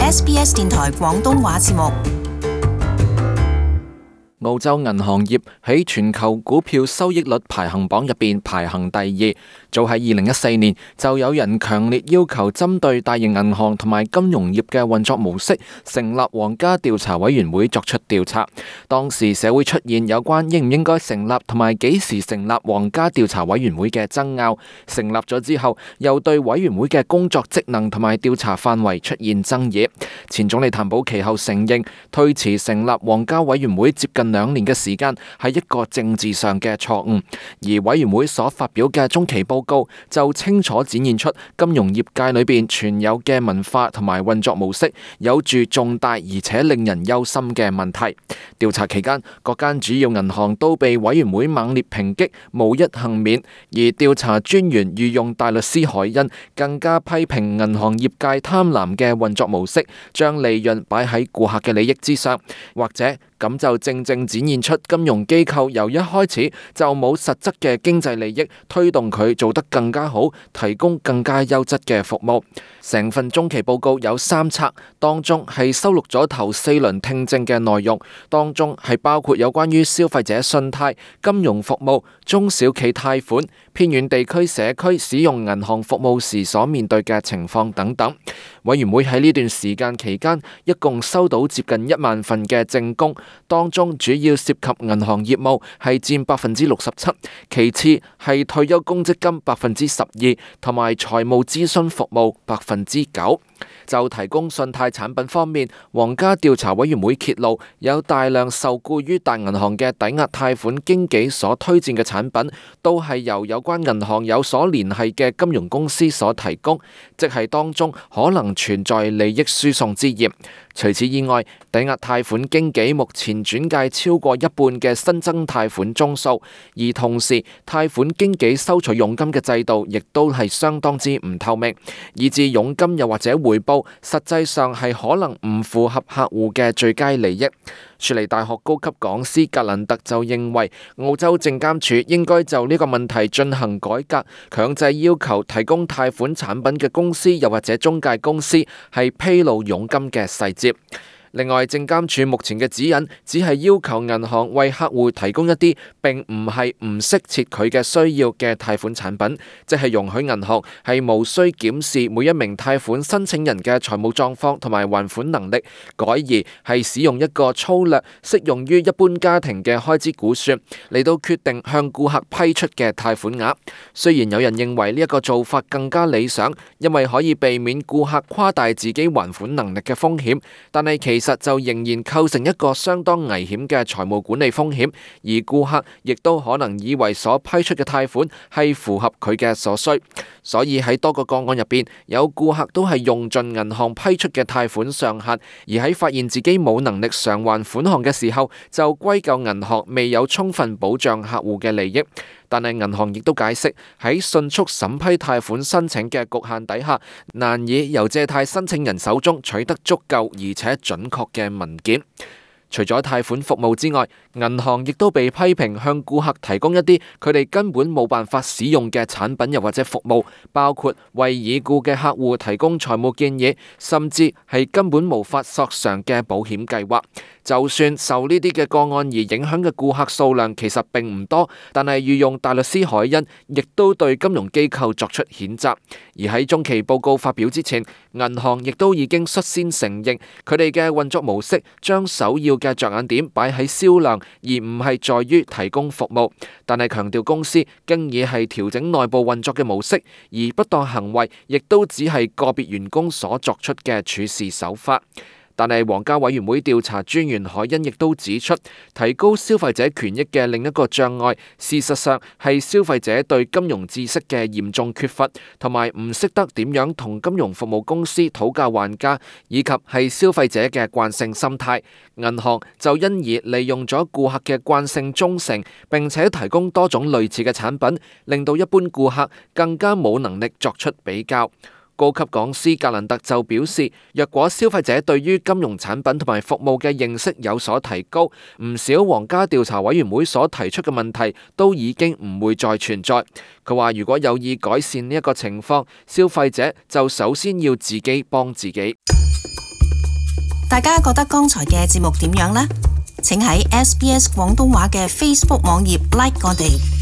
SBS 電台廣東話節目。澳洲銀行業喺全球股票收益率排行榜入邊排行第2。早喺2014年就有人強烈要求針對大型銀行同埋金融業嘅運作模式，成立皇家調查委員會作出調查。當時社會出現有關應唔應該成立同埋幾時成立皇家調查委員會嘅爭拗。成立咗之後，又對委員會嘅工作職能同埋調查範圍出現爭議。前總理譚寶其後承認，推遲成立皇家委員會接近2年嘅時間係一個政治上嘅錯誤，而委員會所發表嘅中期報告就清楚展現出金融業界裏邊存有嘅文化同埋運作模式有住重大而且令人憂心嘅問題。調查期間，各間主要銀行都被委員會猛烈抨擊，無一幸免，而調查專員御用大律師海恩更加批評銀行業界貪婪嘅運作模式，將利潤擺喺顧客嘅利益之上，或者咁就正正展現出金融機構由一開始就冇實質嘅經濟利益推動佢做得更加好，提供更加優質嘅服務。成份中期報告有3冊，當中係收錄咗頭4輪聽證嘅內容，當中係包括有關於消費者信貸、金融服務、中小企貸款、偏遠地區社區使用銀行服務時所面對嘅情況等等。委員會喺呢段時間期間，一共收到接近1萬份嘅證供，當中主要涉及銀行業務係佔67%，其次係退休公積金12%，同埋財務諮詢服務9%。就提供信貸產品方面，皇家調查委員會揭露有大量受僱於大銀行嘅抵押貸款經紀所推薦嘅產品，都係由有關銀行有所聯繫嘅金融公司所提供，即係當中可能存在利益輸送之嫌。除此以外，抵押貸款經紀目前轉介超過一半嘅新增貸款宗數，而同時貸款經紀收取佣金嘅制度亦都係相當之唔透明，以致佣金又或者回報實際上係可能唔符合客戶嘅最佳利益。雪梨大學高級講師格蘭特就認為，澳洲證監處應該就呢個問題進行改革，強制要求提供貸款產品嘅公司又或者中介公司係披露佣金嘅細節。另外，證監處目前嘅指引只係要求銀行為客戶提供一啲並唔係唔適切佢嘅需要嘅貸款產品，即係容許銀行係無需檢視每一名貸款申請人嘅財務狀況同埋還款能力，改而係使用一個粗略適用於一般家庭嘅開支估算嚟到決定向顧客批出嘅貸款額。雖然有人認為呢一個做法更加理想，因為可以避免顧客誇大自己還款能力嘅風險，但係其實就仍然構成一個相當危險嘅財務管理風險，而顧客亦都可能以為所批出嘅貸款係符合佢嘅所需，所以喺多個個案入邊，有顧客都係用盡銀行批出嘅貸款上限，而喺發現自己冇能力償還款項嘅時候，就歸咎銀行未有充分保障客戶嘅利益。但係銀行亦都解釋，喺迅速審批貸款申請嘅局限底下，難以由借貸申請人手中取得足夠而且準確嘅文件。除咗貸款服務之外，銀行亦都被批評向顧客提供一啲佢哋根本冇辦法使用嘅產品又或者服務，包括為已故嘅客戶提供財務建議，甚至係根本無法索償嘅保險計劃。就算受呢啲嘅個案而影響嘅顧客數量其實並唔多，但係御用大律師海恩亦都對金融機構作出譴責。而喺中期報告發表之前，銀行亦都已經率先承認佢哋嘅運作模式將首要嘅着眼點擺喺銷量，而唔係在於提供服務。但係強調公司經已係調整內部運作嘅模式，而不當行為亦都只係個別員工所作出嘅處事手法。但係皇家委員會調查專員海恩亦都指出，提高消費者權益嘅另一個障礙，事實上係消費者對金融知識嘅嚴重缺乏，同埋唔識得點樣同金融服務公司討價還價，以及係消費者嘅慣性心態。銀行就因而利用咗顧客嘅慣性忠誠，並且提供多種類似嘅產品，令到一般顧客更加冇能力作出比較。高級講師格蘭特就表示，若果消費者對於金融產品同埋服務嘅認識有所提高，唔少皇家調查委員會所提出嘅問題都已經唔會再存在。佢話如果有意改善呢一個情況，消費者就首先要自己幫自己。大家覺得剛才嘅節目點樣呢？請喺SBS 廣東話嘅 Facebook 網頁 like 我哋。